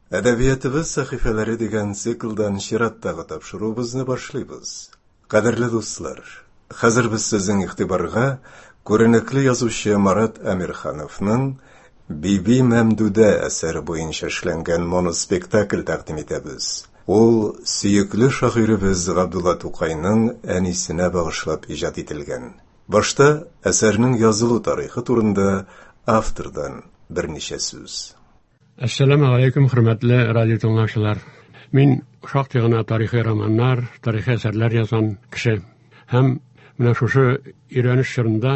Әдәбиятыбыз сәхифәләре дигән циклдан чираттагы тапшыруыбызны башлыйбыз. Кадерле дуслар, хәзер без сезнең игътибарга күренекле язучы Марат Әмирхановның Биби Мәмдүдә әсәре буенча эшләнгән моноспектакль тәкъдим итәбез. Ул сөекле шагыйребез Габдулла Тукайның әнисенә багышлап иҗат ителгән. Башта әсәрнең язылу тарихы турында автордан берничә сүз. Әссәламу алейкум, хөрмәтле радио тыңлаучылар. Мин шактый гына тарихи романнар, тарихи әсәрләр язган кеше. Һәм менә шушы өйрәнеш чорында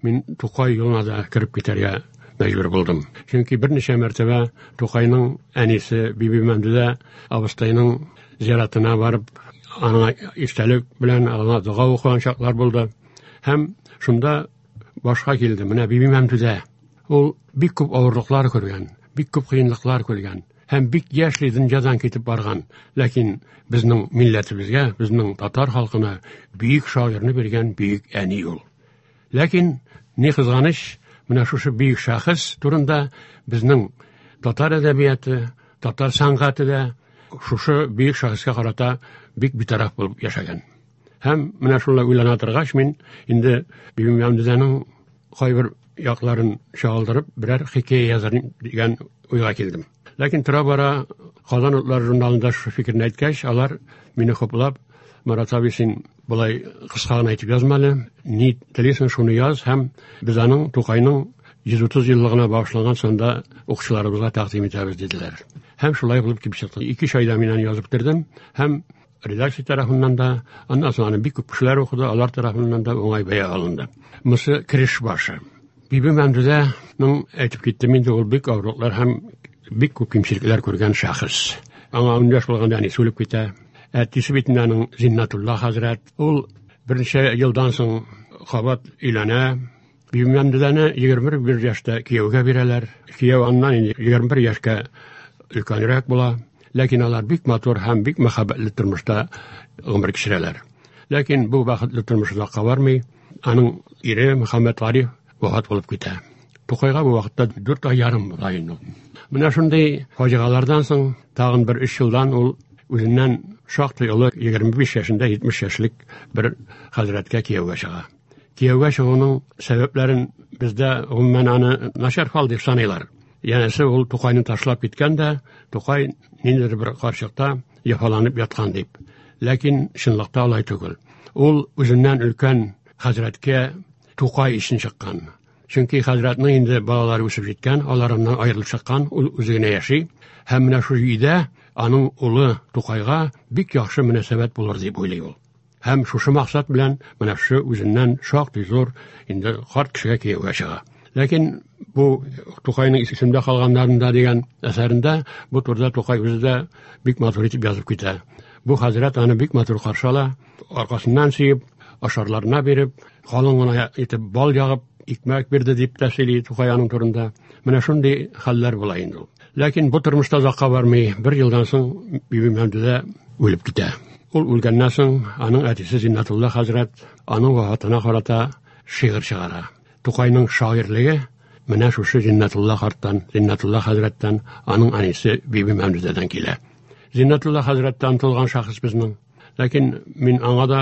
мин Тукай юлына да кереп китәргә мәҗбүр булдым. Чөнки берничә мәртәбә Тукайның әнисе Биби Мәмдүдә абыстайның зиратына барып, аңа истәлек белән аңа дога укыган чаклар булды. Һәм шунда башка килде. Менә Биби Мәмдүдә Ул бик күп авырлыклар күргән, бик күп кыенлыклар күргән һәм бик яшьли дөньядан китеп барган. Ләкин безнең милләтебезгә, безнең татар халкына бөек шагыйрьне биргән бөек әни ул. Ләкин ни кызганыч, менә шушы бөек шәхес турында безнең татар әдәбияты, татар сәнгате дә шушы бөек шәхескә карата бик битараф булып яшәгән. Һәм менә шулай уйлана торгач, мин инде Бибимәмдүдәнең кайбер якларын чагылдырып берәр хикәя язар дигән уйга килдем. Ләкин тора-бара Казан утлары журналында шушы фикерне әйткәч, алар мине хуплап, Марат абый, син болай кыска гына итеп язма әле, ни телисең, шуны яз һәм без аның Тукайның 130 еллыгына багышланган санда укучыларыбызга тәкъдим итәбез, диделәр. Һәм шулай булып килеп чыкты. 2-3 айда мин аны язып бетердем һәм редакция тарафыннан да, аннан соң аны бик күп кешеләр укыды, алар тарафыннан да уңай бәя алынды. Монысы кереш башы. Биби Мәмдүдәнең әйтеп киттем инде, ул бик авырлыклар һәм бик күп кимчелекләр күргән шәхес. Аңа 10 яшь булганда әнисе үлеп китә. Әтисе бит инде аның Зиннатулла хәзрәт. Ул берничә елдан соң кабат өйләнә. Биби Мәмдүдәне 21 яшьтә кияүгә бирәләр. Кияү аннан инде 21 яшькә өлкәнрәк була. Ләкин алар бик матур һәм бик мәхәббәтле тормышта гомер кичерәләр. Ләкин бу бәхетле тормыш озакка бармый. Аның ире Мөхәммәт Гариф вафат булып китә. Тукайга бу вакытта 4 ай ярым була инде. Менә шундый фаҗигалардан соң тагын бер 3 елдан ул үзеннән шактый олы 25 яшендә 70 яшьлек бер хәзрәткә кияүгә чыга. Кияүгә чыгуның сәбәпләрен бездә гомумән аны начар фал дип саныйлар. Янәсе ул Тукайны ташлап киткән дә, Тукай ниндидер бер карчыкта яфаланып яткан дип. Ләкин чынлыкта алай түгел. Ул үзеннән өлкән хәзрәткә Тукай өчен чыккан. Чөнки хәзрәтнең инде балалары үсеп җиткән, алар аннан аерылып чыккан, ул үзе генә яши. Һәм менә шул өйдә аның улы Тукайга бик яхшы мөнәсәбәт булыр дип уйлый ул. Һәм шушы максат белән менә шушы үзеннән шактый зур инде карт кешегә кияүгә чыга. Ләкин бу Тукайның исемдә калганнарында дигән әсәрендә бу турыда Тукай үзе дә бик матур итеп язып китә. Бу хәзрәт аны бик матур каршы ала, аркасыннан сөеп, ашарларына биреп, калын гына итеп бал ягып, икмәк бирде дип тә сөйли Тукай аның турында. Менә шундый хәлләр була инде ул. Ләкин бу тормышта озакка бармый, бер елдан соң Биби Мәмдүдә үлеп китә. Ул үлгәннән соң аның әтисе Зиннатулла хәзрәт аның вафатына карата шигырь чыгара. Тукайның шагыйрьлеге менә шушы Зиннатулла карттан, Зиннатулла хәзрәттән, аның әнисе Биби Мәмдүдәдән килә. Зиннатулла хәзрәт тә онытылган шәхес безнең. Ләкин мин аңа да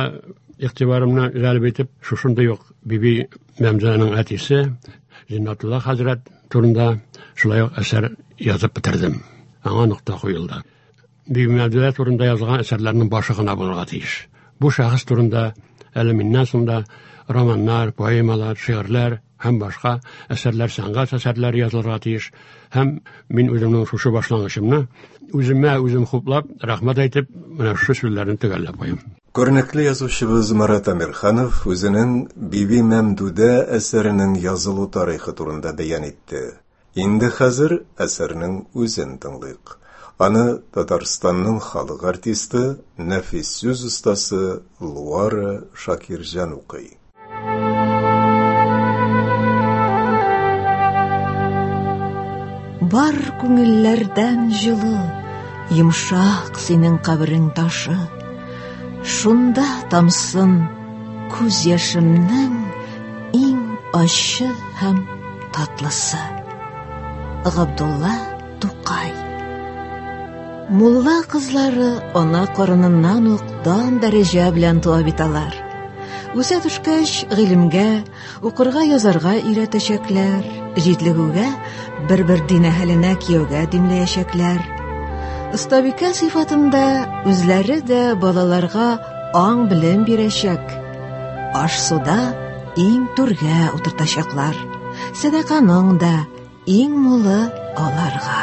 игътибарымны җәлеп итеп, шушындый ук Биби Мәмдүдәнең әтисе Зиннатулла хәзрәт турында шулай ук әсәр язып бетердем. Аңа нокта куелды. Биби Мәмдүдә турында язылган әсәрләрнең башы гына булырга тиеш. Бу шәхес турында әле миннән соң да романнар, поэмалар, шигырьләр һәм башка әсәрләр, сәнгать әсәрләре язылырга тиеш. Һәм мин үземнең шушы башлангычымны үземә үзем хуплап, рәхмәт әйтеп, менә шушы сүзләрне төгәлләп куям. Күренекле язучыбыз Марат Әмирханов үзенең Биби Мәмдүдә әсәренең язылу тарихы турында бәян итте. Инде хәзер әсәрнең үзен тыңлыйк. Аны Татарстанның халык артисты, нәфис сүз остасы Луара Шакирҗан укый. Бар күңелләрдән җылы, йомшак синең каберең ташы. Шунда тамсын күз яшемнең иң ачы һәм татлысы. Габдулла Тукай. Мулла кызлары ана карыныннан ук дан дәрәҗә белән туа бит алар. Үсә төшкәч, гыйлемгә, укырга язарга өйрәтәчәкләр, җитлегүгә бер-бер дин әһеленә кияүгә димләячәкләр. Остабикә сыйфатында үзләре дә балаларга аң-белем бирәчәк. Аш-суда иң түргә утыртачаклар. Сәдаканың да иң мулы аларга.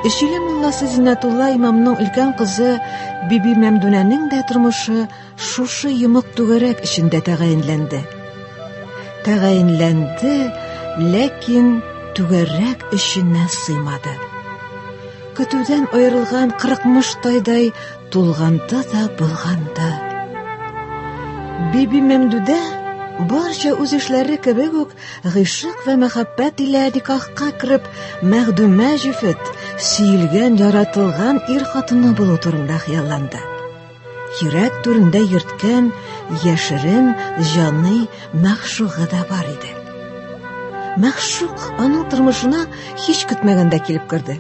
Өчиле мулласы Зиннәтулла имамның өлкән кызы Биби Мәмдүнәнең дә тормышы шушы йомык түгәрәк эчендә тәгаенләнде. Тәгаенләнде, ләкин түгәрәк эченә сыймады. Көтүдән аерылган кырыкмыш тайдай тулганды да булганды. Биби Мәмдүдә барча үз эшләре кебек үк гыйшык вә мәхәббәт илә никахка кереп, мәгъдүмә җефет, сөелгән, яратылган ир хатыны булу турында хыялланды. Йөрәк түрендә йөрткән яшерен җаный мәгъшугы да бар иде. Мәгъшук аның тормышына һич көтмәгәндә килеп керде.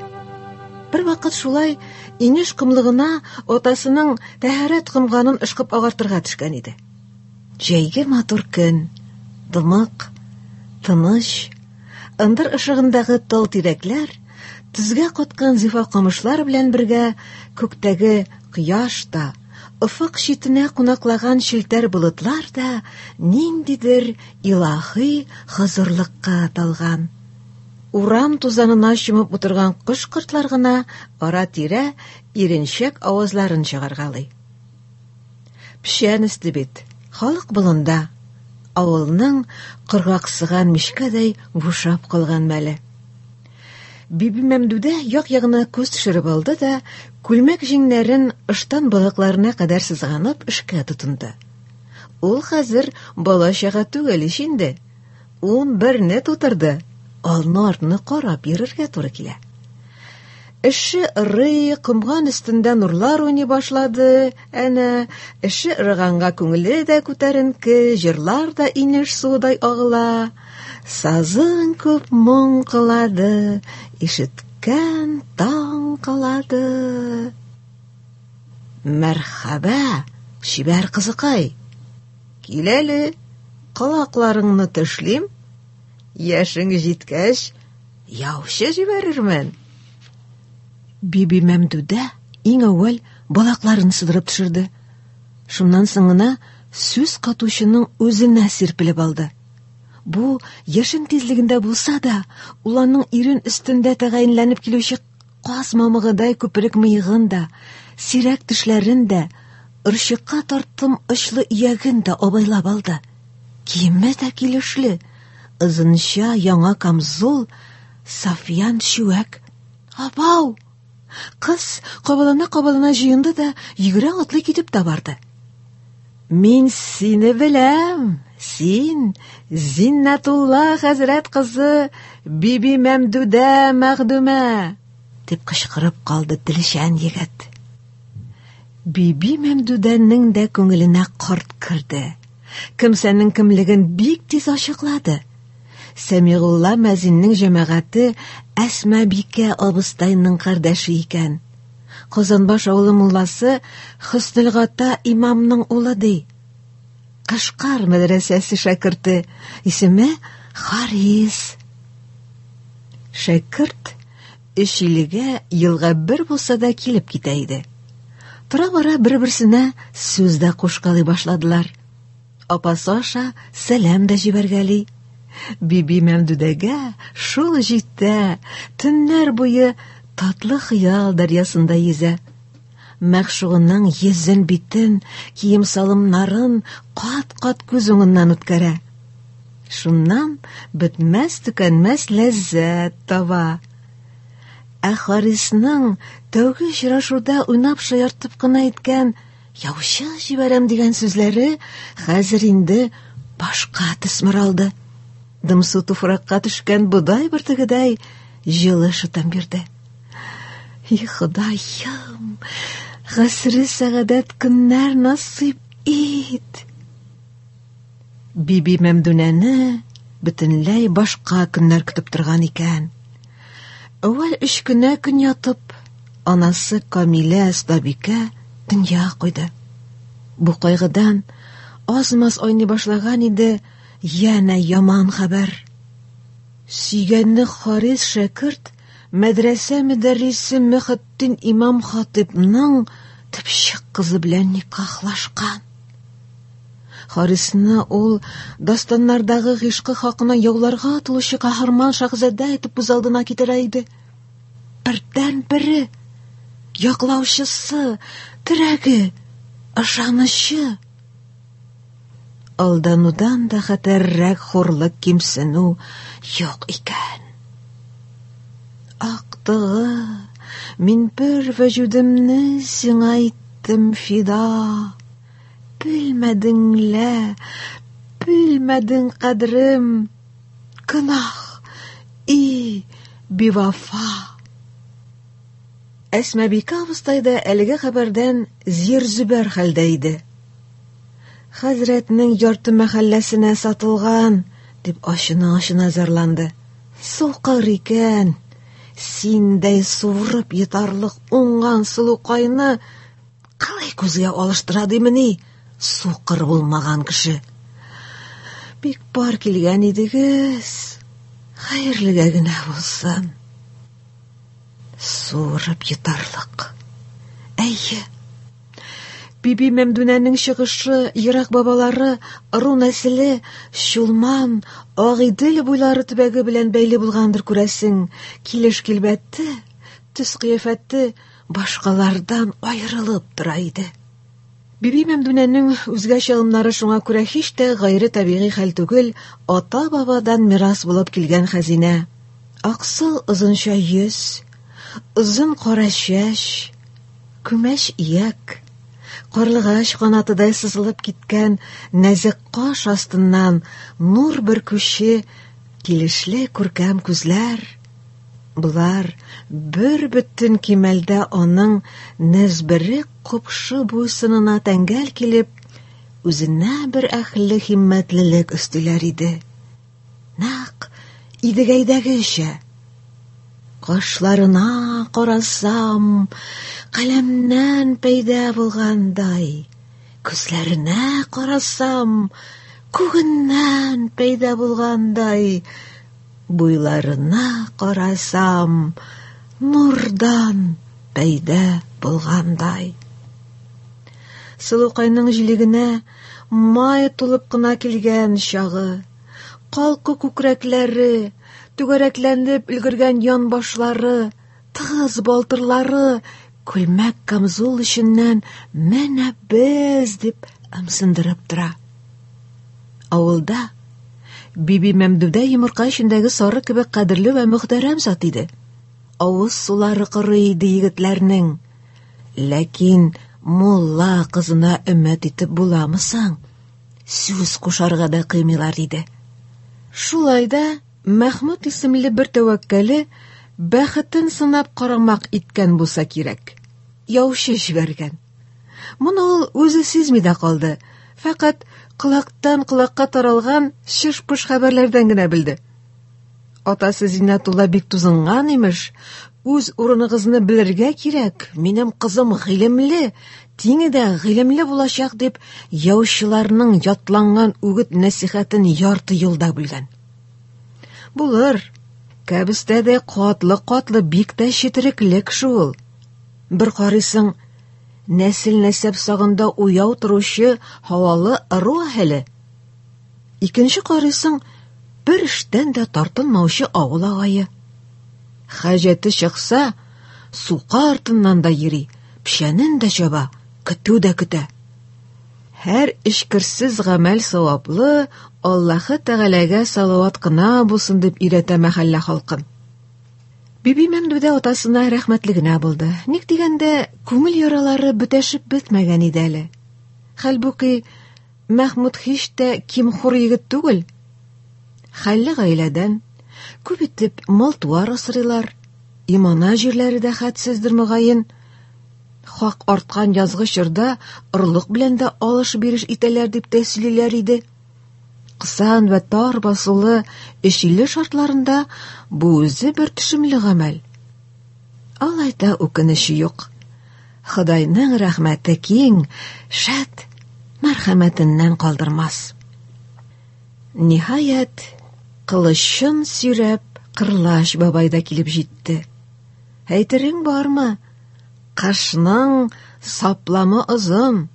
Бер вакыт шулай инеш комлыгына атасының тәһарәт комганын ышкып агартырга төшкән иде. Җәйге матур көн, дымык, тыныч, ындыр ышыгындагы тал тирәкләр, тезгә каткан зифа камышлар белән бергә күктәге кояш та, офык читенә кунаклаган челтәр болытлар да ниндидер илаһи хозурлыкка талган. Урам тузанына чумып утырган кош-кортлар гына ара-тирә иренчәк авазларын чыгаргалый. Печән өсте бит, халык болында. Авылның коргаксыган мичкәдәй бушап калган мәле. Биби Мәмдүдә як-ягына күз төшереп алды да, күлмәк җиңнәрен ыштан балакларына кадәр сызганып эшкә тотынды. Ул хәзер бала-чага түгел ич инде. 11-не тутырды. Алны-артны карап йөрергә туры килә. Эше ырый, комган өстендә нурлар уйный башлады. Әнә, эше ырыганга күңеле дә күтәренке, җырлар да инеш суыдай агыла. Сазың күп моң кылады, ишеткән таң калады. Мәрхәбә, чибәр кызыкай. Кил әле, колакларыңны тешлим. Яшең җиткәч, яучы җибәрермен. Биби Мәмдүдә иң әүвәл балакларын сыдырып төшерде. Шуннан соң гына сүз катучының үзенә сирпелеп алды. Бу яшен тизлегендә булса да, ул аның ирен өстендә тәгаенләнеп килүче каз мамыгыдай күперек мыегын да, сирәк тешләрен дә, орчыкка тарттым очлы ияген дә абайлап алды. Киеме дә килешле, озынча яңа камзол, сафьян чүәк. Абау! Кыз кабалана-кабалана җыенды да йөгерә атлый китеп тә барды. Мин сине беләм, син Зиннәтулла хәзрәт кызы Биби Мәмдүдә Мәгъдүмә, дип кычкырып калды телчән егет. Биби Мәмдүдәнең дә күңеленә корт керде. Кемсәнең кемлеген бик тиз ачыклады. Сәмигулла мәзиннең җәмәгате Әсмабикә абыстайның кардәше икән. Казанбаш авылы мулласы Хөснелгата имамның улы ди. Кышкар мәдрәсәсе шәкерте, исеме Харис. Шәкерт Өчилегә елга бер булса да килеп китә иде. Тора-бара бер-берсенә сүз дә кушкалый башладылар. Апасы аша сәлам дә җибәргәли. Биби Мәмдүдәгә шул җитә, төннәр буе татлы хыял дәрьясында йөзә. Мәгъшугының йөзен-битен, кием-салымнарын кат-кат күз уңыннан үткәрә. Шуннан бетмәс-төкәнмәс ләззәт таба. Ә Харисның тәүге очрашуда уйнап-шаяртып кына әйткән яучы җибәрәм дигән сүзләре хәзер инде башка төсмер алды. Дымсу туфракка төшкән бодай бөртегедәй җылы шытым бирде. И Ходаем, гасре сәгадәт көннәр насыйп ит. Биби Мәмдүнәне бөтенләй башка көннәр көтеп торган икән. Әүвәл өч кенә көн ятып, анасы Камилә остабикә дөнья куйды. Бу кайгыдан аз-маз айный башлаган иде, янә яман хәбәр. Сөйгәне Харис шәкерт мәдрәсә мөдәррисе Мөхетдин имам хатыйпның төпчек кызы белән никахлашкан. Харисны ул дастаннардагы гыйшкы хакына яуларга атылучы каһарман шаһзадә итеп күз алдына китерә иде. Бердән-бере, яклаучысы, терәге, ышанычы. Алданудан да хәтәррәк хурлык кимсенү юк икән. Актыгы, мин бер вәҗүдемне сиңа иттем фида. Белмәдең лә, белмәдең кадерем. Гөнаһ, и, бивафа. Әсмабикә абыстай да әлеге хәбәрдән зир-зөбәр хәлдә иде. Хәзрәтнең ярты мәхәлләсенә сатылган, дип ачына-ачына зарланды. Сукыр икән. Синдәй суырып йотарлык уңган сылукайны Кылый күзгә алыштыра димени? Сукыр булмаган кеше. Бик пар килгән идегез. Хәерлегә генә булсын. Суырып йотарлык. Әйе. Биби Мәмдүнәнең чыгышы, ерак бабалары, ыру нәселе Чулман, Агыйдел буйлары төбәге белән бәйле булгандыр күрәсең. Килеш-килбәте, төс-кыяфәте башкалардан аерылып тора иде. Биби Мәмдүнәнең үзгә чалымнары шуңа күрә һич тә гайре табигый хәл түгел, ата-бабадан мирас булып килгән хәзинә. Аксыл озынча йөз, озын кара чәч, күмәч ияк, карлыгач канатыдай сызылып киткән нәзек каш астыннан нур бөркүче килешле күркәм күзләр, Болар бер бөтен кимәлдә аның нәзберек купшы буй-сынына тәңгәл килеп, үзенә бер әхле химмәтлелек өстиләр иде. Нәкъ Идегәйдәгечә. Кашларына карасам, каләмнән пәйда булгандай, күзләренә карасам, күгеннән пәйда булгандай, Буйларына карасам, нурдан пәйда булгандай. Сылукайның җилегенә май тулып кына килгән чагы, калку күкрәкләре, түгәрәкләнеп өлгергән янбашлары, тыгыз балтырлары күлмәк камзул эченнән менә без дип ымсындырып тора. Авылда Биби Мәмдүдә йомырка эчендәге сары кебек кадерле вә мөхтәрәм зат иде. Авыз сулары корый иде егетләрнең. Ләкин мулла кызына өмет итеп буламы соң? Сүз кушарга да кыймыйлар иде. Шулай да Мәхмүт исемле бер тәвәккәле бәхетен сынап карамак иткән булса кирәк. Яучы җибәргән. Моны ул үзе сизми дә калды. Фәкать колактан колакка таралган чыш-пыш хәбәрләрдән генә белде. Атасы Зиннәтулла бик тузынган имеш. Үз урыныгызны белергә кирәк. Минем кызым гыйлемле, тиңе дә гыйлемле булачак дип, яучыларның ятланган үгет-нәсихәтен ярты юлда бүлгән. Булыр. Кәбестә дә катлы-катлы бик тә четерекле кеше ул. Бер карыйсың, нәсел-нәсәп сагында уяу торучы һавалы ыру әһеле. Икенче карыйсың, бер эштән дә тартынмаучы авыл агае. Хаҗәте чыкса, сука артыннан да йөри, печәнен дә чаба, көтү дә көтә. Һәр эчкерсез гамәл саваплы, Аллаһы Тәгаләгә салават кына булсын дип өйрәтә мәхәллә халкын. Биби Мәмдүдә атасына рәхмәтле генә булды. Ник дигәндә, күңел яралары бөтәшеп бетмәгән иде әле. Хәлбуки, Мәхмүт һич тә ким-хур егет түгел. Хәлле гаиләдән, күп итеп мал-туар асрыйлар, имана җирләре дә хәтсездер мөгаен. Хак арткан язгы чорда орлык белән дә алыш-биреш итәләр дип тә сөйлиләр иде. Кысан вә тар басулы Өчиле шартларында бу үзе бер төшемле гамәл. Алай да үкенече юк. Ходайның рәхмәте киң, шәт, мәрхәмәтеннән калдырмас. Ниһаять, кылычын сөйрәп, Кырлач бабай да килеп җитте. Әйтерең бармы? Кышның сапламы озын.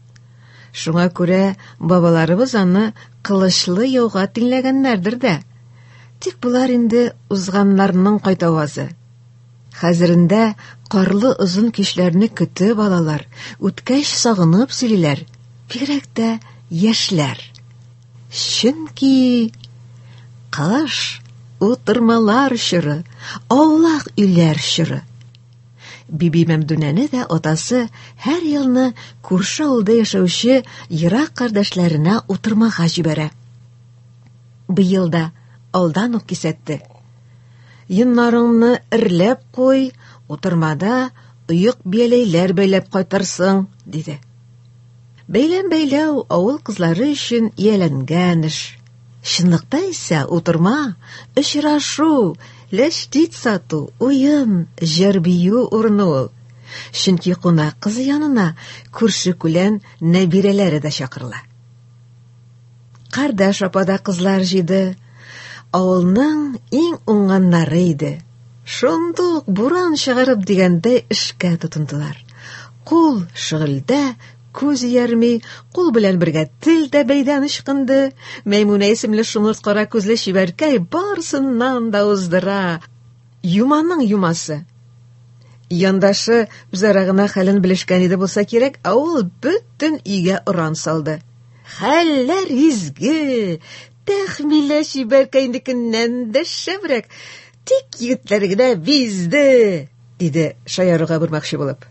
Шуңа күрә бабаларыбыз аны кылычлы яуга тиңләгәннәрдер дә. Тик болар инде узганнарның кайтавазы. Хәзерендә карлы озын кичләрне көтеп алалар, үткәч сагынып сөйлиләр. Бигрәк тә яшьләр. Чөнки кыш утырмалар чоры, аулак өйләр чоры. Биби Мәмдүнәне дә атасы һәр елны күрше авылда яшәүче ерак кардәшләренә утырмага җибәрә. Быел да алдан ук кисәтте. Йоннарыңны эрләп куй, утырмада оек бияләйләр бәйләп кайтырсың, диде. Бәйләм бәйләү авыл кызлары өчен ияләнгән эш. Чынлыкта исә утырма, очрашу, ләчтит сату, уен, җыр-бию урыны ул. Чөнки кунак кызы янына күрше-күлән нәбирәләре дә чакырыла. Кардәш апа да кызлар җыйды. Авылның иң уңганнары иде. Шундук буран чыгарып дигәндәй эшкә тотындылар. Кул шөгыльдә, күз иярми, кул белән бергә тел дә бәйдән ычкынды. Мәймүнә исемле шомырт кара күзле чибәркәй барысыннан да уздыра. Юманың юмасы. Яндашы үзара гына хәлен белешкән иде булса кирәк, ә ул бөтен өйгә оран салды. Хәлләр изге! Тәхмилә чибәркәйнекеннән дә шәбрәк. Тик егетләр генә бизде, диде шаяруга бормакчы булып.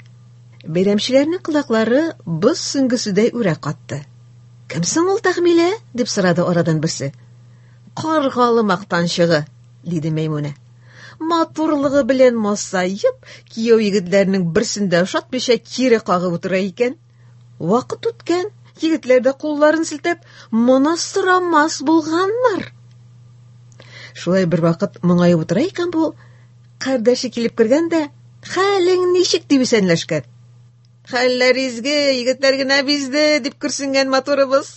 Бәйрәмчеләрнең колаклары боз сөңгеседәй үрә катты. Кем соң ул Тәхмилә? дип сорады арадан берсе. Каргалы мактанчыгы, диде Мәймүнә. Матурлыгы белән масаеп, кияү егетләрнең берсен дә ошатмыйча кире кагып утыра икән. Вакыт үткән, егетләр дә кулларын селтәп, моны сорамас булганнар. Шулай бер вакыт моңаеп утыра икән бу, кардәше килеп кергән дә, хәлең ничек дип исәнләшкән. Хәлләр изге, егетләр генә бизде, дип көрсенгән матурыбыз.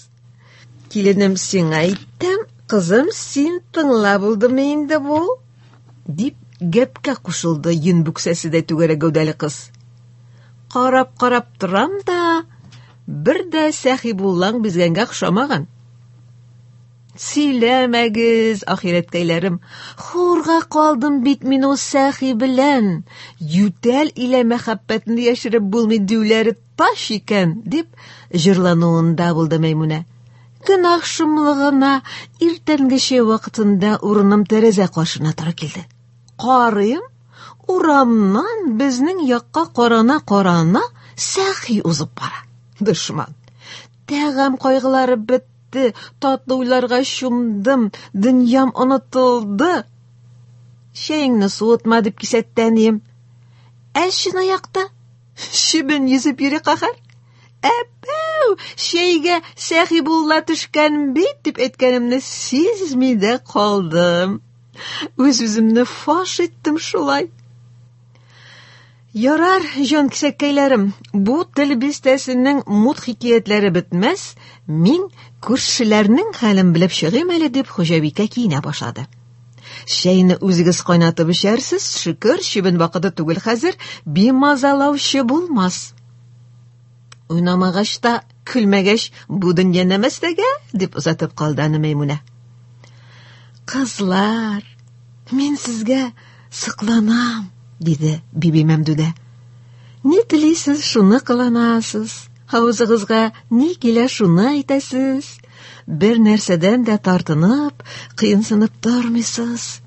Киленем сиңа әйттем, кызым, син тыңла булдымы инде бу? Дип гәпкә кушылды йон бүксәседәй түгәрәк гәүдәле кыз. Карап-карап торам да, бер дә Сәхибуллаң бизгәнгә охшамаган. Сөйләмәгез, ахирәткәйләрем, хурга калдым бит мин ул Сәхи белән. Ютәл илә мәхәббәтне яшереп булмый диюләре таш икән, дип җырлануында булды Мәймүнә. Гөнаһ шомлыгына иртәнге чәй вакытында урыным тәрәзә каршына туры килде. Карыйм, урамнан безнең якка карана-карана Сәхи узып бара. Дошман. Тәгам кайгылары бетте, татлы уйларга чумдым, дөньям онытылды. Чәеңне суытма, дип кисәтте әнием. Ә чынаякта чебен йөзеп йөри каһәр. Әпәү, чәйгә Сәхибулла төшкән бит, дип әйткәнемне сизми дә калдым. Үз-үземне фаш иттем шулай. Ярар, җан кисәккәйләрем, бу тел бистәсенең мут хикәятләре бетмәс, мин күршеләрнең хәлен белеп чыгыйм әле, дип хуҗабикә киенә башлады. Чәйне үзегез кайнатып эчәрсез, шөкер, чебен вакыты түгел хәзер, бимазалаучы булмас. Уйнамагач та, көлмәгәч, бу дөнья нәмәстәгә, дип озатып калды аны Мәймүнә. Кызлар, мин сезгә сокланам, диде Биби Мәмдүдә. Ни телисез, шуны кыланасыз. Авызыгызга ни килә, шуны әйтәсез. Бер нәрсәдән дә тартынып, кыенсынып тормыйсыз.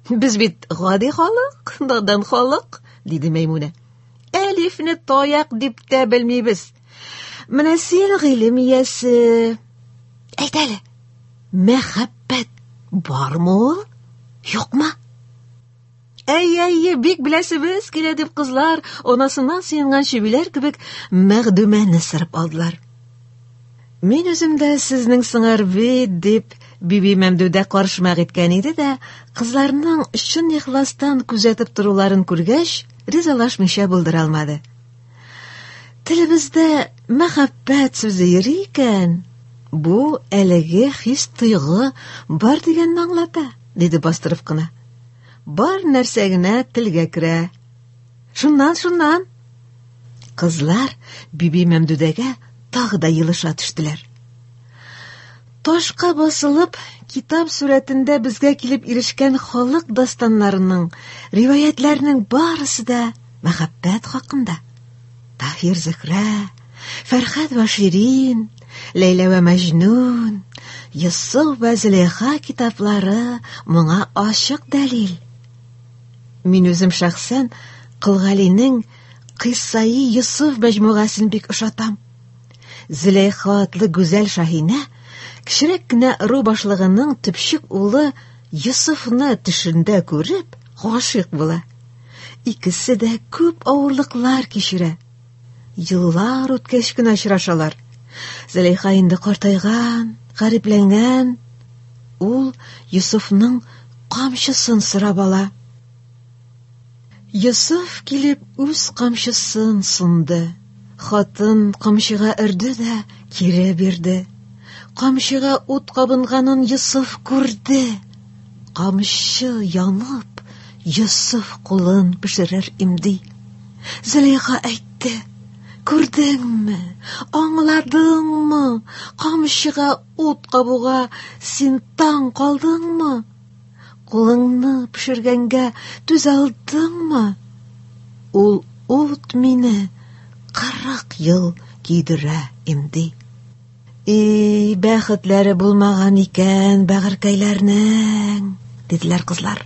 Без бит гади халык, надан халык, диде Мәймүнә. Әлифне таяк дип тә белмибез. Менә син гыйлем иясе. Әйт әле, мәхәббәт бармы ул, юкмы? Әй, әй, бик беләсебез килә дип кызлар анасыннан сыенган чебиләр кебек Мәгъдүмәне сырып алдылар. Мин үзем дә сезнең сыңар бит, дип Биби Мәмдүдә карышмак иткән иде дә, кызларның чын ихластан күзәтеп торуларын күргәч, ризалашмыйча булдыра алмады. Телебездә мәхәббәт сүзе йөри икән, бу әлеге хис-тойгы бар дигәнне аңлата, диде бастырып кына. Бар нәрсә генә телгә керә. Шуннан, шуннан. Кызлар Биби Мәмдүдәгә тагы да елыша төштеләр. Ташка басылып, китап сурәтендә безгә килеп ирешкән халык дастаннарының, риваятьләрнең барысы да мәхәббәт хакында. Таһир Зөһрә, Фәрхад вә Ширин, Ләйлә вә Мәҗнүн, Йосыф вә Зөләйха китаплары моңа ачык дәлил. Мин үзем шәхсән Кол Галинең Кыйссаи Йосыф мәҗмугасен бик ошатам. Зөләйха атлы гүзәл шаһинә кечерәк кенә ыру башлыгының төпчек улы Йосыфны төшендә күреп, гашыйк була. Икесе дә күп авырлыклар кичерә. Еллар үткәч кенә очрашалар. Зөләйха инде картайган, гарипләнгән. Ул Йосыфның камчысын сорап ала. Йосыф килеп үз камчысын сонды. Хатын камчыга өрде дә кире бирде. Камчыга ут кабынганын Йосыф күрде. Камчы янып, Йосыф кулын пешерер имди. Зөләйха әйтте: "Күрдеңме? Аңладыңмы? Камчыга ут кабуга син таң калдыңмы? Кулыңны пешергәнгә түзә алдыңмы? Ул ут мине 40 ел көйдерә имди. И, бәхетләре булмаган икән бәгырькәйләрнең, диделәр кызлар.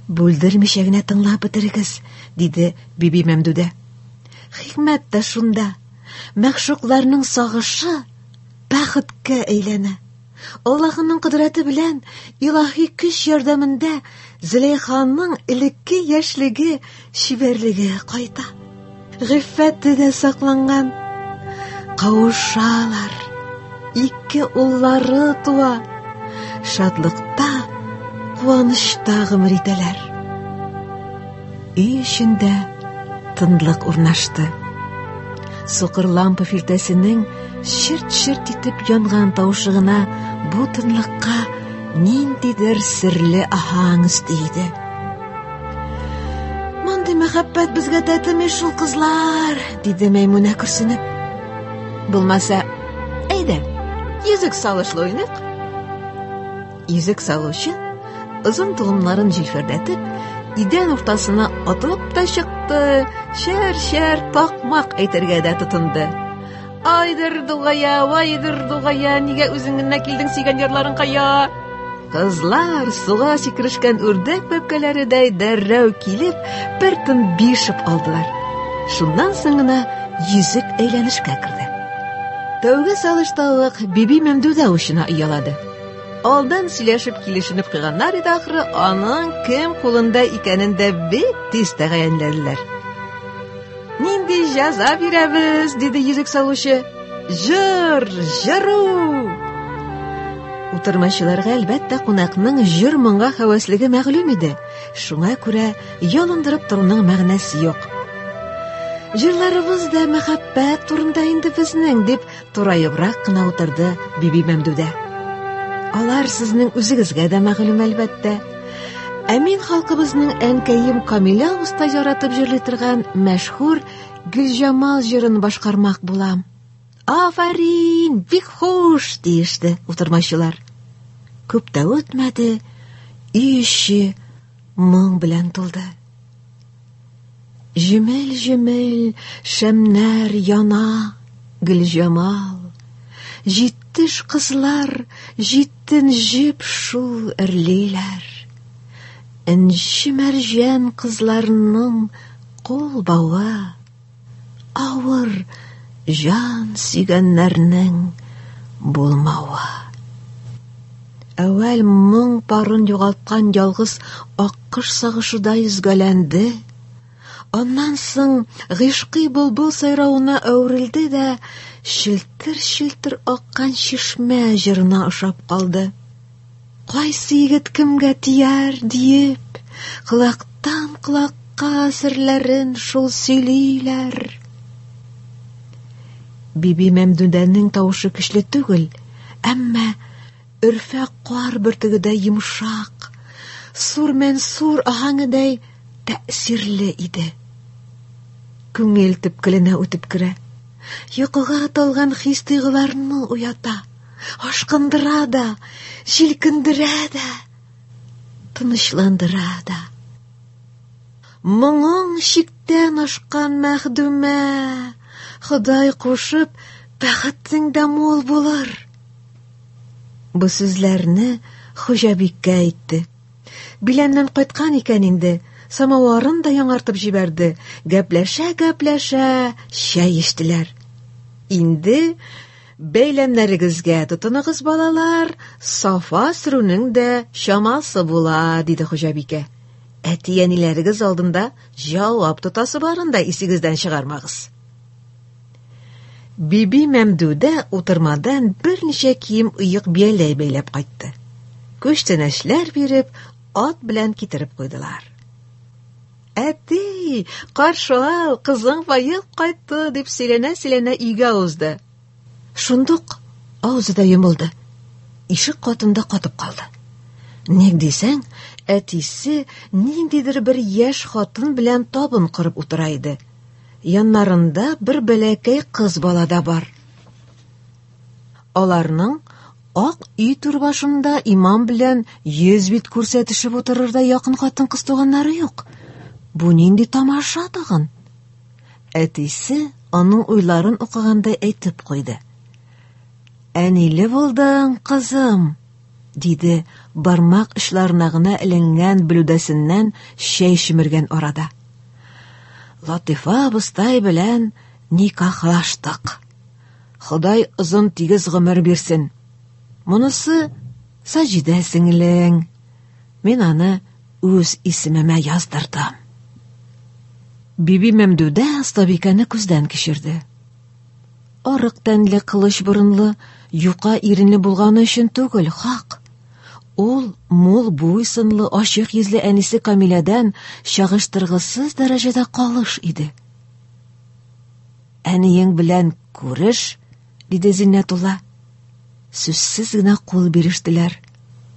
Бүлдермичә генә тыңлап бетерегез, диде Биби Мәмдүдә. Хикмәт тә шунда. Мәгъшукларның сагышы бәхеткә әйләнә. Аллаһының кодрәте белән илаһи көч ярдәмендә Зөләйханың элекке яшьлеге, чибәрлеге кайта. Гыйффәте дә сакланган. Кавышалар. Ике уллары туа. Шатлыкта, куанычта гомер итәләр. Өй эчендә тынлык урнашты. Сукыр лампа филтәсенең черт-черт итеп янган тавышы гына бу тынлыкка ниндидер серле аһаң өсти иде. Мондый мәхәббәт безгә тәтеми шул, кызлар, диде Мәймүнә көрсенеп. Булмаса, әйдә, йөзек салышлы уйныйк. Йөзек салучы озын толымнарын җилфердәтеп, идән уртасына атылып та чыкты, чәр-чәр такмак әйтергә дә тотынды. Айдыр дугая, вайдыр дугая, нигә үзең генә килдең сөйгән ярларың кая? Кызлар суга сикерешкән үрдәк бәбкәләредәй дәррәү килеп, бер тын бишеп алдылар. Шуннан соң гына йөзек әйләнешкә керде. Тәүге салышта ук Биби Мәмдүдә учына оялады. Алдан сөйләшеп килешенеп куйганнар иде ахры, аның кем кулында икәнен дә бик тиз тәгаенләделәр. Нинди җәза бирәбез, диде йөзек салучы. Җыр, җыру! Утырмачыларга, әлбәттә, кунакның җыр-моңга һәвәслеге мәгълүм иде. Шуңа күрә ялындырып торуның мәгънәсе юк. Җырларыбыз да мәхәббәт турында инде безнең, дип Тураебрак кына утырды Биби Мәмдүдә. Алар сезнең үзегезгә дә мәгълүм, әлбәттә. Ә мин халкыбызның әнкәем Камилә уста яратып җырлый торган мәшһүр Гөлҗамал җырын башкармак булам. Афәрин, бик хуш, диеште утырмачылар. Күп тә үтмәде, өй эче моң белән тулды. Җемел-җемел шәмнәр яна, Гөлҗамал. Җиттеш кызлар җитен җеп шул эрлиләр. Энҗе мәрҗән кызларның кул бавы, авыр җан сөйгәннәрнең булмавы. Әүвәл моң парын югалткан ялгыз аккош сагышуда йөзгәләнде. Аннан соң гыйшкый былбыл сайравына әверелде дә челтер-челтер аккан чишмә җырына ошап калды. Кайсы егет кемгә тияр диеп, колактан колакка Башка серләрен шул сөйлиләр. Биби Мәмдүдәнең тавышы көчле түгел, әмма өрфәк кар бөртегедәй йомшак, сур мәнсур аһәңедәй тәэсирле иде. Күңел төпкеленә үтеп керә. Йокыга талган хис-тойгыларны уята, ашкындыра да, җилкендерә дә, тынычландыра да. Моңың чиктән ашкан мәхдүмә, Ходай кушып, бәхетең дә мул булыр. Бу сүзләрне хуҗабикә әйтте. Биләмнән кайткан икән инде, самоварын да яңартып җибәрде. Гәпләшә-гәпләшә чәй эчтеләр. Инде бәйләмнәрегезгә тотыныгыз, балалар, сафа сөрүнең дә чамасы була, диде хуҗабикә. Әти-әниләрегез алдында җавап тотасы барын да исегездән чыгармагыз. Биби Мәмдүдә утырмадан берничә кием оек бияләй бәйләп кайтты. Күчтәнәчләр биреп, ат белән китереп куйдылар. Әти, каршы ал, кызың баеп кайтты, дип сөйләнә-сөйләнә өйгә узды. Шундук авызы да йомылды. Ишек катында катып калды. Ник дисәң, әтисе ниндидер бер яшь хатын белән табын корып утыра иде. Яннарында бер бәләкәй кыз бала да бар. Аларның ак өй түр башында имам белән йөз бит күрсәтешеп утырырдай якын хатын-кыз туганнары юк. Бу нинди тамаша тагын? Әтисе аның уйларын укыгандай әйтеп куйды. Әниле булдың, кызым, диде бармак очларына гына эленгән блюдәсеннән чәй чөмергән арада. Латифа абыстай белән никахлаштык. Ходай озын тигез гомер бирсен. Монысы Саҗидә сеңлең. Мин аны үз исемемә яздырдым. Биби Мәмдүдә остабикәне күздән кичерде. Арык тәнле, кылыч борынлы, юка иренле булганы өчен түгел, хак. Ул мул буй сынлы, ачык йөзле әнисе Камиләдән чагыштыргысыз дәрәҗәдә калыш иде. Әниең белән күреш, диде Зиннәтулла. Сүзсез генә кул бирештеләр.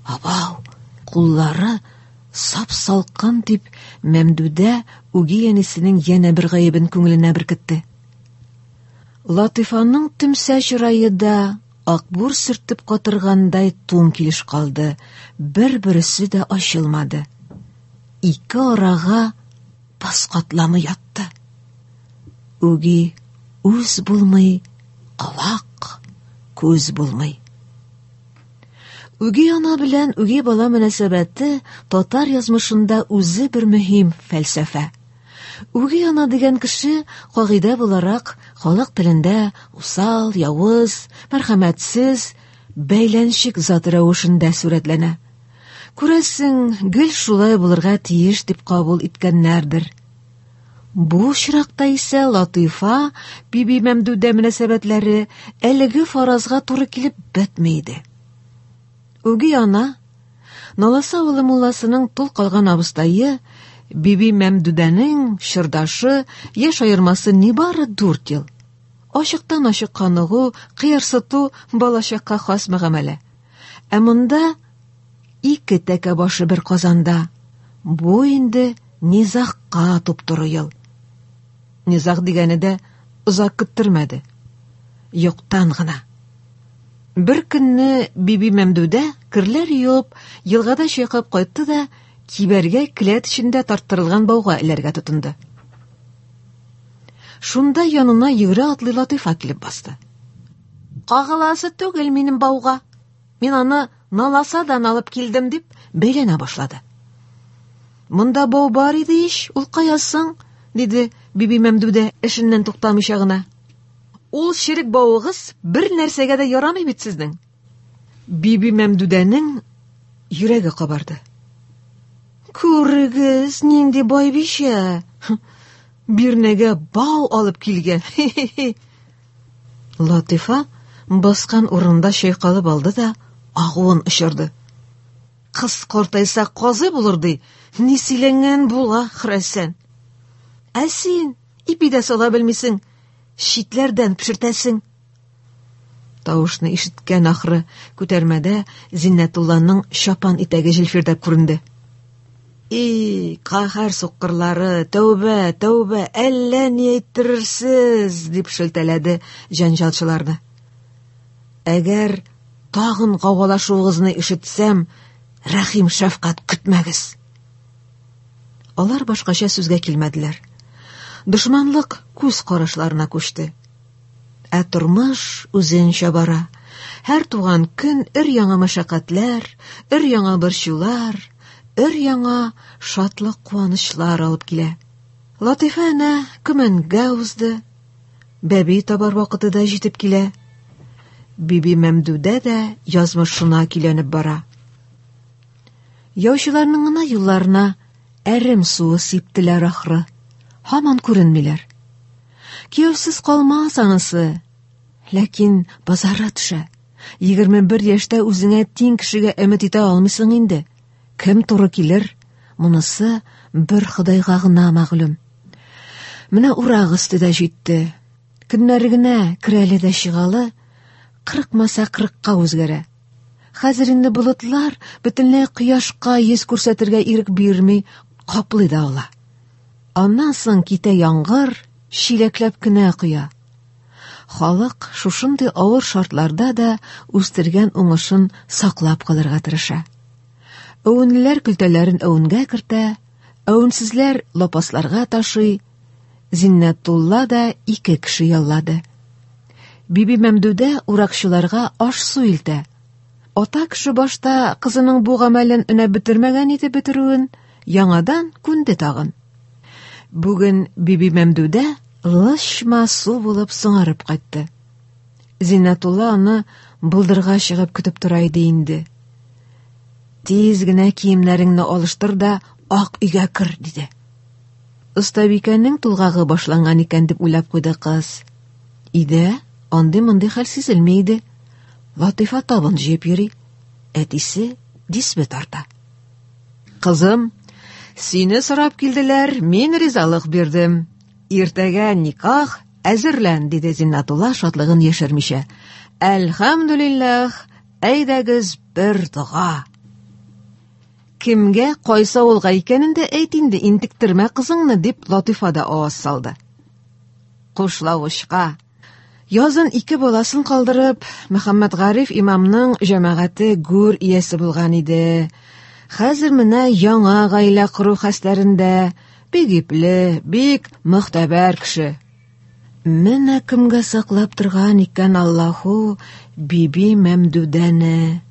Абау, куллары сап-салкын дип, Мәмдүдә үги әнисенең янә бер гаебен күңеленә беркетте. Латыйфаның төмсә чырае да акбур сөртеп катыргандай туң килеш калды, бер-берсе дә ачылмады. Ике арага пас катламы ятты. Үги үз булмый, колак, күз булмый. Үги ана белән үги бала мөнәсәбәте татар язмышында үзе бер мөһим фәлсәфә. Үги ана дигән кеше, кагыйдә буларак, халык телендә усал, явыз, мәрхәмәтсез, бәйләнчек зат рәвешендә сурәтләнә. Күрәсең, гел шулай булырга тиеш дип кабул иткәннәрдер. Бу очракта исә Латыйфа Биби Мәмдүдә мөнәсәбәтләре әлеге фаразга туры килеп бетми иде. Үги ана, Наласа авылы мулласының тол калган абыстае, Биби Мәмдүдәнең чордашы, яшь аермасы нибары дүрт ел. Ачыктан-ачык каныгу, кыерсыту балачакка хас мөгамәлә. Ә монда ике тәкә башы бер казанда. Бу инде низагка туп-туры ел. Низаг дигәне дә озак көттермәде. Юктан гына. Бер көнне Биби Мәмдүдә керләр юып, елгада чайкап кайтты да, кибәргә келәт эчендә тарттырылган бауга эләргә тотынды. Шунда янына йөгерә атлый Латыйфа килеп басты. Кагыласы түгел минем бауга. Мин аны Наласадан алып килдем, дип бәйләнә башлады. Монда бау бар иде ич, ул кая соң? диде Биби Мәмдүдә эшеннән туктамыйча гына. Ул черек бавыгыз бер нәрсәгә дә ярамый бит сезнең. Биби Мәмдүдәнең йөрәге кабарды. Күрегез, нинди байбичә! Бирнәгә бау алып килгән. Латыйфа баскан урынында чайкалып алды да агуын очырды. Кыз картайса казый булыр ди. Ни сөйләнгән була, хөрәсән. Ә син ипи дә сала белмисең, читләрдән пешертәсең. Тавышны ишеткән ахры, күтәрмәдә Зиннәтулланың чапан итәге җилфердәп күренде. И, каһәр суккырлары, тәүбә, тәүбә, әллә ни әйттерерсез, дип шелтәләде җәнҗалчыларны. Әгәр тагын гаугалашуыгызны ишетсәм, рәхим шәфкать көтмәгез. Алар башкача сүзгә килмәделәр. Дошманлык күз карашларына күчте. Ә тормыш үзенчә бара. Һәр туган көн өр-яңа мәшәкатьләр, өр-яңа борчулар, өр-яңа шатлык-куанычлар алып килә. Латыйфа әнә көмәнгә узды. Бәби табар вакыты да җитеп килә. Биби Мәмдүдә дә язмышына көйләнеп бара. Яучыларның гына юлларына әрем суы сиптеләр ахры. Һаман күренмиләр. Кияүсез калмас анысы. Ләкин базара төшә. 21 яшьтә үзеңә тиң кешегә өмет итә алмыйсың инде. Кем туры килер, монысы бер Ходайга гына мәгълүм. Менә урак өсте дә җитте. Көннәре генә керәле дә чыгалы, кырыкмаса кырыкка үзгәрә. Хәзер инде болытлар бөтенләй кояшка йөз күрсәтергә ирек бирми, каплый да ала. Аннан соң китә яңгыр, чиләкләп кенә коя. Халык шушындый авыр шартларда да үстергән уңышын саклап калырга тырыша. Әвенлеләр көлтәләрен әвенгә кертә, әвенсезләр лапасларга ташый. Зиннәтулла да ике кеше яллады. Биби Мәмдүдә уракчыларга аш-су илтә. Ата кеше башта кызының бу гамәлен өнәп бетермәгән иде бетерүен, яңадан күнде тагын. Бүген Биби Мәмдүдә лычма су булып соңарып кайтты. Зиннәтулла аны болдырга чыгып көтеп тора иде инде. Тиз генә киемнәреңне алыштыр да ак өйгә кер, диде. Остабикәнең тулгагы башланган икән дип уйлап куйды кыз. Өйдә андый-мондый хәл сизелми иде. Латыйфа табын җыеп йөри. Әтисе дисбе тарта. Кызым, сине сорап килделәр, мин ризалык бирдем. Иртәгә никах, әзерлән, диде Зиннатулла шатлыгын яшермичә. Әлхәмдүлилләһ, әйдәгез бер дога. Кемгә, кайсы авылга икәнен дә әйт инде, интектермә кызыңны, дип Латыйфа да аваз салды. Кушлавычка. Язын ике баласын калдырып, Мөхәммәтгариф имамның җәмәгате гүр иясе булган иде. Хәзер менә яңа гаилә кору хәстәрендә, бик ипле, бик мөхтәбәр кеше. Менә кемгә саклап торган икән Аллаһу Биби Мәмдүдәне.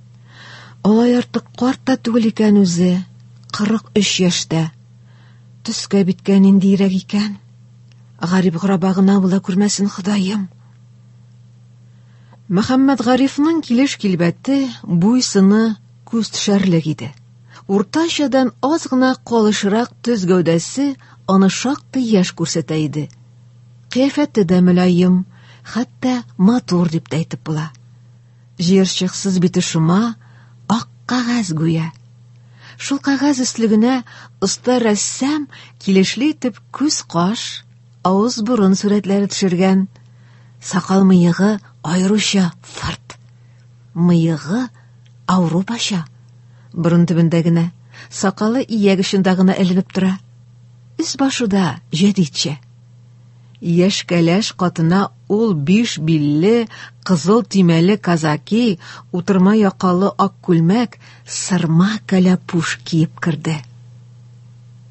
Алай артык карт та түгел икән үзе, 43 яшьтә. Төскә биткә ниндиерәк икән? Гарип гораба гына була күрмәсен Ходаем. Мөхәммәд Гарифның килеш килбәте, буй-сыны күз төшәрлек иде. Уртачадан аз гына калышрак төз гәүдәсе аны шактый яшь күрсәтә иде. Кыяфәте дә мөлаем, хәтта матур дип тә әйтеп була. Җыерчыксыз бите шома, ак кәгазь гүя. Шул кәгазь өслегенә оста рәссам килешле итеп күз-каш, авыз-борын сурәтләре төшергән. Сакал-мыегы аеруча фырт. Мыегы Ауропача. Борын төбендә генә, сакалы ияк очында гына эленеп тора. Өс-башы да җәдитчә. Яшь кәләш катына ул биш билле, кызыл төймәле казаки, утырма якалы ак күлмәк, сырма кәләпүш киеп керде.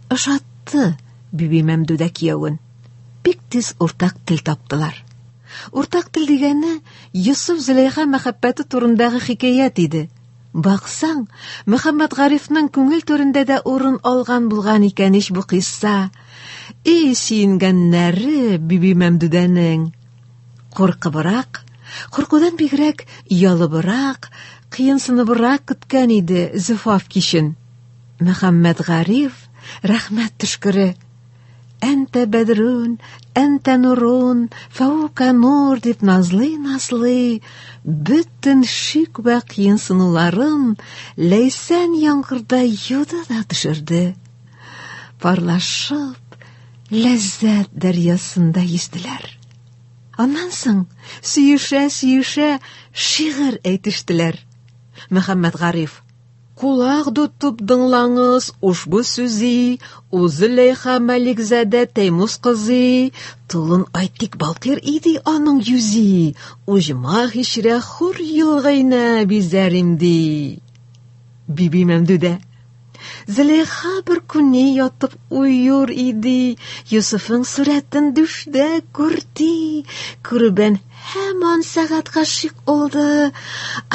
Ошатты Биби Мәмдүдә киявен. Бик тиз уртак тел таптылар. Уртак тел дигәне Йосыф-Зөләйха мәхәббәте турындагы хикәят иде. Баксаң, Мөхәммәтгарифның күңел түрендә дә урын алган булган икән ич бу кыйсса. И, сөенгәннәре Биби Мәмдүдәнең! Куркыбрак, куркудан бигрәк оялыбрак, кыенсыныбрак көткән иде Зөфаф кичен. Мөхәммәтгариф, рәхмәт төшкере! Әнтә бәдрүн, әнтә нурун, фәүкә нур дип назлый-назлый, бөтен шик вә кыенсынуларын ләйсән яңгырда юды да төшерде. Парлашып, ләззәт дәрьясында йөзделәр. Аннан соң сөешә-сөешә шигырь әйтештеләр. Мөхәммәтгариф: Кулак тотып дыңлаңыз ушбу сүзи, У Зөләйха Мәликзадә Тәймус кызы, Тулын айтик балкыр иде аның йөзи, Уҗмах ишрә хур елгайна бизәр имди. Биби Мәмдүдә: Зөләйха бер күне ятып уюр иде, Йосыфың сурәтен дүштә күрде, Күрүбән һаман сәгать гашыйк oldu,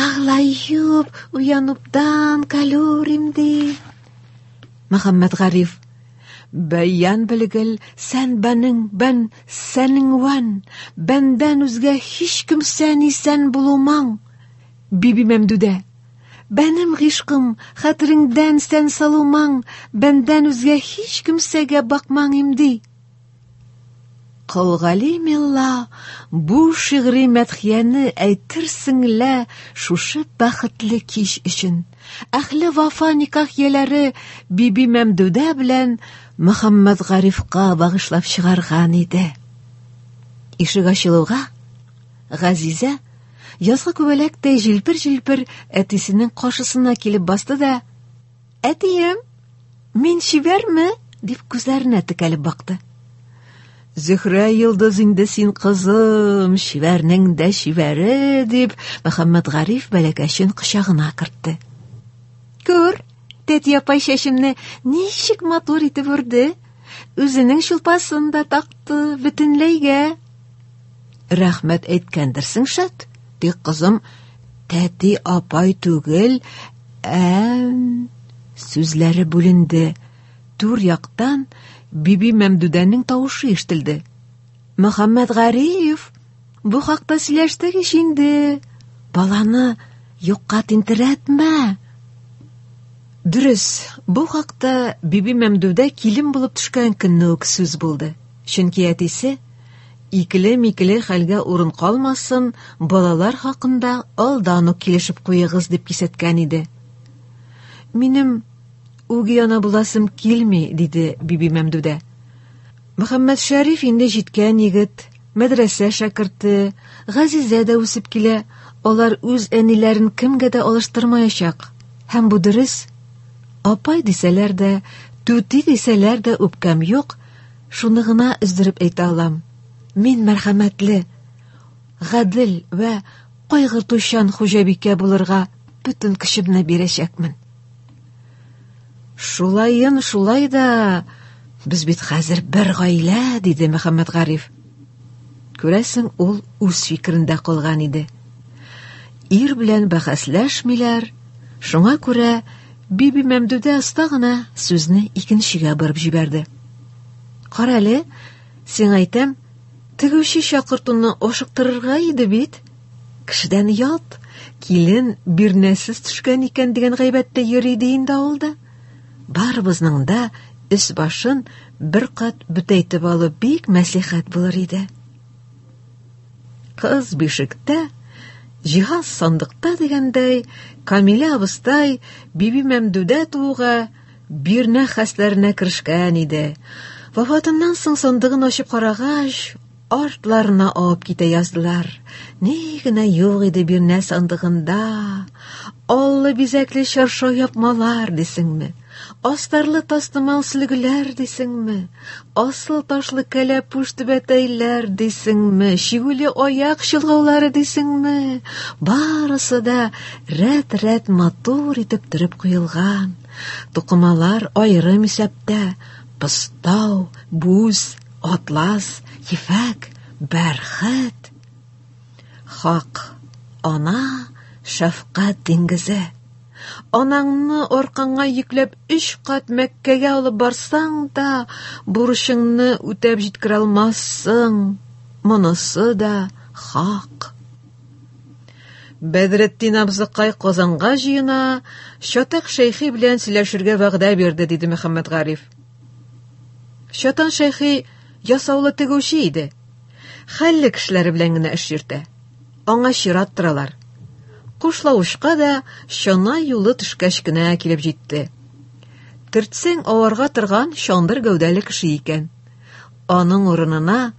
Ağlayıp уянуптан калюр имди. Мөхәммәтгариф: Бәян белгел, сән бәнең, бән сәнең вән, бәндән үзгә һич кемсә исән булумаң. Биби Мәмдүдә: Бәнем гыйшкым, хәтереңдән сән салумаң, бәндән үзгә һич кемсәгә бакмаң имди. Колгали мелла бу шигъри мәдхияне әйтерсең лә шушы бәхетле кич өчен әһле вафа никах ияләре Биби Мәмдүдә белән Мөхәммәтгарифка багышлап чыгарган иде. Ишек ачылуга Газизә язгы күбәләктәй җилпер-җилпер әтисенең каршысына килеп басты да: "Әтием, мин чибәрме?" дип күзләренә текәлеп бакты. Зөһрә йолдыз инде син, кызым, чибәрнең дә чибәре, дип Мөхәммәтгариф бәләкәчен кочагына кертте. Күр, тәти апай чәчемне ничек матур итеп үрде. Үзенең чулпасын да такты бөтенләйгә. Рәхмәт әйткәндерсең, шәт. Тик, кызым, тәти апай түгел, ә сүзләре бүленде. Түр яктан Биби Мәмдүдәнең тавышы ишетелде. Мөхәммәтгариф, бу хакта сөйләштек ич инде. Баланы юкка тинтерәтмә. Дөрес, бу хакта Биби Мәмдүдә килен булып төшкән көнне үк сүз булды. Чөнки әтисе икеле-микеле хәлгә урын калмасын, балалар хакында алдан ук килешеп куегыз дип кисәткән иде. Минем үги ана буласым килми, диде Биби Мәмдүдә. Мөхәммәтшәриф инде җиткән егет, мәдрәсә шәкерте, Газизә дә үсеп килә, алар үз әниләрен кемгә дә алыштырмаячак. Һәм бу дөрес. Апай дисәләр дә, түти дисәләр дә үпкәм юк, шуны гына өздереп әйтә алам. Мин мәрхәмәтле, гадел вә кайгыртучан хуҗабикә булырга бөтен көчемне бирәчәкмен. Шулайын шулай да, без бит хәзер бер гаилә, диде Мөхәммәтгариф. Күрәсең, ул үз фикерендә калган иде. Ир белән бәхәсләшмиләр, шуңа күрә Биби Мәмдүдә оста гына сүзне икенчегә борып җибәрде. Кара әле, сиңа әйтәм, тегүче чакыртуны ашыктырырга иде бит. Кешедән ят, килен бирнәсез төшкән икән дигән гайбәт тә йөри иде инде авылда. Барыбызның да өс башын бер кат бөтәйтеп алу бик мәслихәт булыр иде. Кыз бишектә, җиһаз сандыкта дигәндәй, Камилә абыстай Биби Мәмдүдә тууга бирнә хәсләренә керешкән иде. Вафатыннан соң сандыгын ачып карагач, артларына авып китә яздылар. Ни генә юк иде бирнә сандыгында. Аллы бизәкле чаршау япмалар дисеңме? Астарлы тастымал сөлгеләр дисеңме? Асыл ташлы кәләпүш түбәтәйләр дисеңме? Чигүле аяк чолгаулары дисеңме? Барысы да рәт-рәт матур итеп төреп куелган. Тукымалар аерым исәптә. Постау, бүз, атлас, ефәк, бәрхет. Хак, ана шәфкать диңгезе. Анаңны аркаңа йөкләп өч кат Мәккәгә алып барсаң да, бурычыңны үтәп җиткерә алмассың. Монысы да хак. Бәдретдин абзыкай Казанга җыена, Чатак шәйхи белән сөйләшергә вәгъдә бирде, диде Мөхәммәтгариф. Чатан шәйхи ясаулы тегүче иде. Хәлле кешеләре белән генә эш йөртә. Аңа чират торалар. Кушлавычка да чана юлы төшкәч кенә килеп җитте. Төртсәң аварга торган чандыр гәүдәле кеше икән. Аның урынына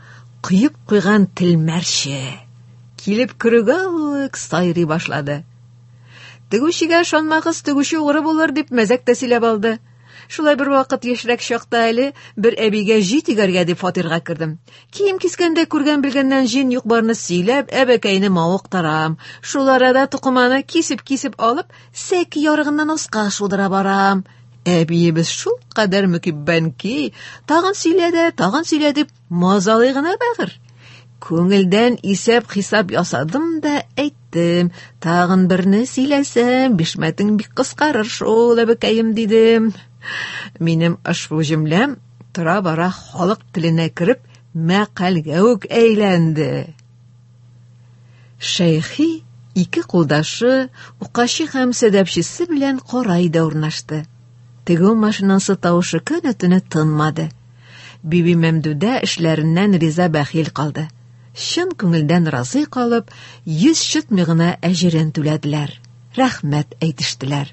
коеп куйган телмәрче килеп керүгә үк сайрый башлады. Тегүчегә ышанмагыз, тегүче угры булыр, дип мәзәк тә сөйләп алды. Шулай бер вакыт яшьрәк чакта әле бер әбигә җи тегәргә дип фатирга кердем. Кием кискәндә күргән-белгәннән җин юк-барны сөйләп, әбекәйне мавыктырам. Шул арада тукыманы кисеп-кисеп алып, сәке ярыгыннан аска шудыра барам. Әбиебез шул кадәр мөкиббән ки, тагын сөйлә дә, тагын сөйлә дип мазалый гына бәгырь. Күңелдән исәп-хисап ясадым да әйттем, тагын берне сөйләсәм, бишмәтең бик кыскарыр шул, әбекәем, дидем. Минем ошбу җөмләм тора-бара халык теленә кереп, мәкальгә үк әйләнде. Шәйхи ике кулдашы, укачы һәм сәдәпчесе белән кара өйдә урнашты. Тегү машинасы тавышы көне-төне тынмады. Биби Мәмдүдә эшләреннән риза-бәхил калды. Чын күңелдән разый калып, йөз чытмый гына әҗерен түләделәр. Рәхмәт әйтештеләр.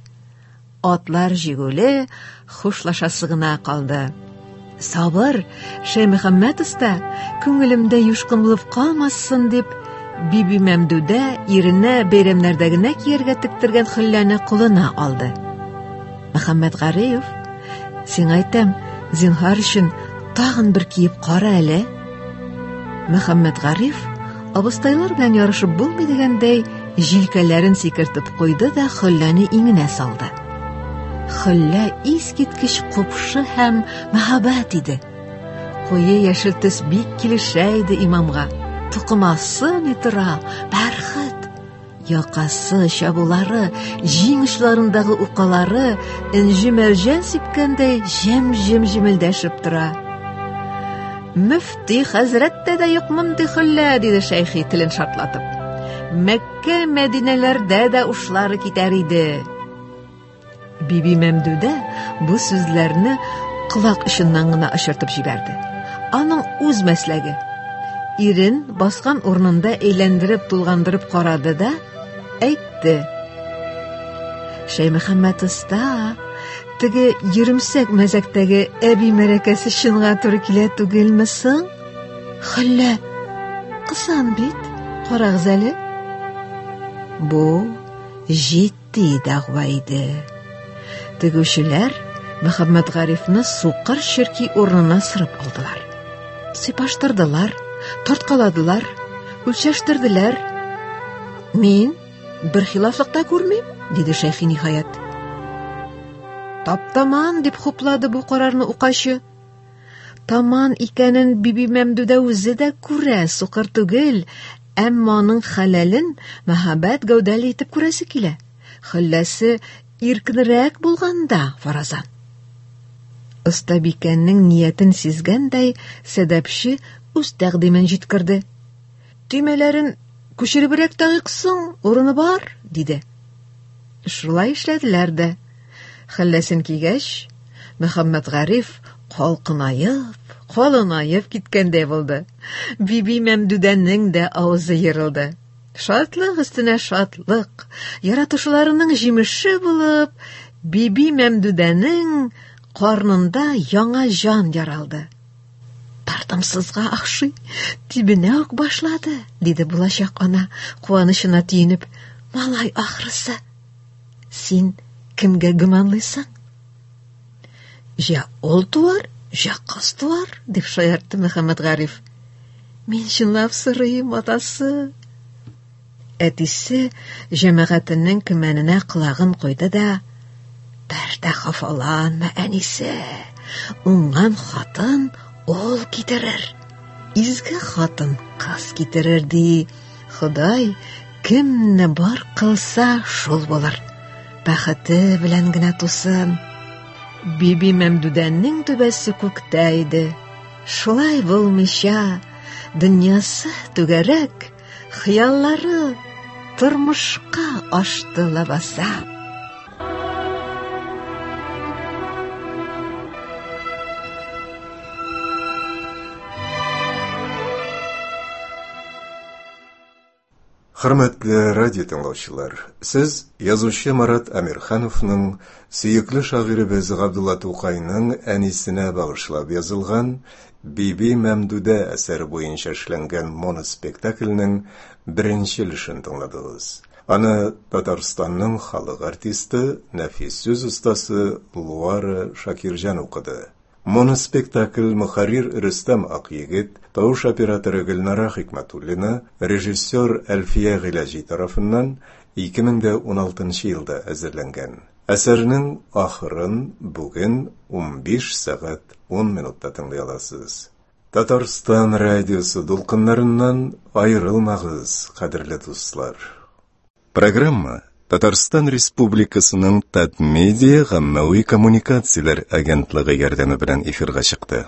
Атлар җигүле, хушлашасы гына калды. Сабыр, Шәймөхәммәт оста, күңелемдә юшкын булып калмасын дип, Биби Мәмдүдә иренә бәйрәмнәрдә генә кияргә тектергән хөлләне кулына алды. Мөхәммәт Гариев, сиңа әйтәм, зинһар өчен тагын бер киеп кара әле. Мөхәммәт Гариф абыстайлар белән ярышып булмый дигәндәй, җилкәләрен сикертеп куйды да хөлләне иңенә салды. Хөллә искиткеч купшы һәм мәһабәт иде. Куе яшел төс бик килешә иде имамга. Тукымасы ни тора, бәрхет. Якасы, чабулары, җиң очларындагы укалары энҗе-мәрҗән сипкәндәй җем-җем җемелдәшеп тора. Мөфти хәзрәттә дә юк мондый хөллә, диде Шәйхи телен шартлатып. Мәккә, Мәдинәләрдә дә ушлары китәр иде. Биби Мәмдүдә бу сүзләрне колак очыннан гына очыртып җибәрде. Аның үз мәсләге. Ирен баскан урынында әйләндереп тулгандырып карады да әйтте. Шәймөхәммәт оста, теге йөремсәк мәзәктәге әби мәрәкәсе чынга туры килә түгелме соң? Хөллә, кысан бит, карагыз әле. Бу җитди дәгъва иде. Тегүчеләр Мөхәммәтгарифны сукыр черки урынына сырып алдылар. Сыйпаштырдылар, тарткаладылар, үлчәштерделәр. Мин бер хилафлык та күрмим, диде Шәйхи ниһаять. Таптаман, дип хуплады бу карарны укачы. Таман икәнен Биби Мәмдүдә үзе дә күрә, сукыр түгел, әмма аның хәләлен мәһабәт гәүдәле итеп күрәсе килә. Хөлләсе иркенрәк булганда, фаразан. Остабикәнең ниятен сизгәндәй, сәдәпче үз тәкъдимен җиткерде. Төймәләрен күчеребрәк тагыйк соң, урыны бар, диде. Шулай эшләделәр дә. Хәлләсен кигәч, Мөхәммәтгариф калкынаеп, калынаеп киткәндәй булды. Биби Мәмдүдәнең дә авызы ерылды. Шатлык өстенә шатлык, яратышуларының җимеше булып, Биби Мәмдүдәнең карнында яңа җан яралды. Тартымсызга охшый, тибенә үк башлады, диде булачак ана, куанычына тиенеп. Малай ахрысы. Син кемгә гөманлыйсың? Җә ул туар, җә кыз туар, дип шаяртты Мөхәммәтгариф. Мин чынлап сорыйм, атасы. Әтисе җәмәгатенең көмәненә колагын куйды да, бер дә хафаланма, әнисе. Уңган хатын ул китерер. Изге хатын кыз китерер, ди. Ходай кемне бар кылса, шул булыр. Бәхете белән генә тусын. Биби Мәмдүдәнең түбәсе күктә иде. Шулай булмыйча, дөньясы түгәрәк, хыяллары тормышка ашты лабаса. Хөрмәтле радио тыңлаучылар, сез язучы Марат Әмирхановның сөекле шагыйребез Габдулла Тукайның әнисенә багышлап язылган Биби Мәмдүдә әсәре буенча эшләнгән моноспектакльнең беренче өлешен тыңладыгыз. Аны Татарстанның халык артисты, нәфис сүз остасы Луара Шакирҗан укыды. Моноспектакль мөхәррир Рөстәм Акъегет, тавыш операторы Гөлнара Хикмәтуллина, режиссер Әлфия Гыйләҗи тарафыннан 2016 елда әзерләнгән. Әсәрнең ахырын бүген 15 сәгать 10 минутта тыңлый аласыз. Татарстан радиосы дулкыннарыннан аерылмагыз, кадерле дуслар. Программа Татарстан Республикасының Татмедиа гаммәви коммуникацияләр агентлыгы ярдәме белән эфирга чыкты.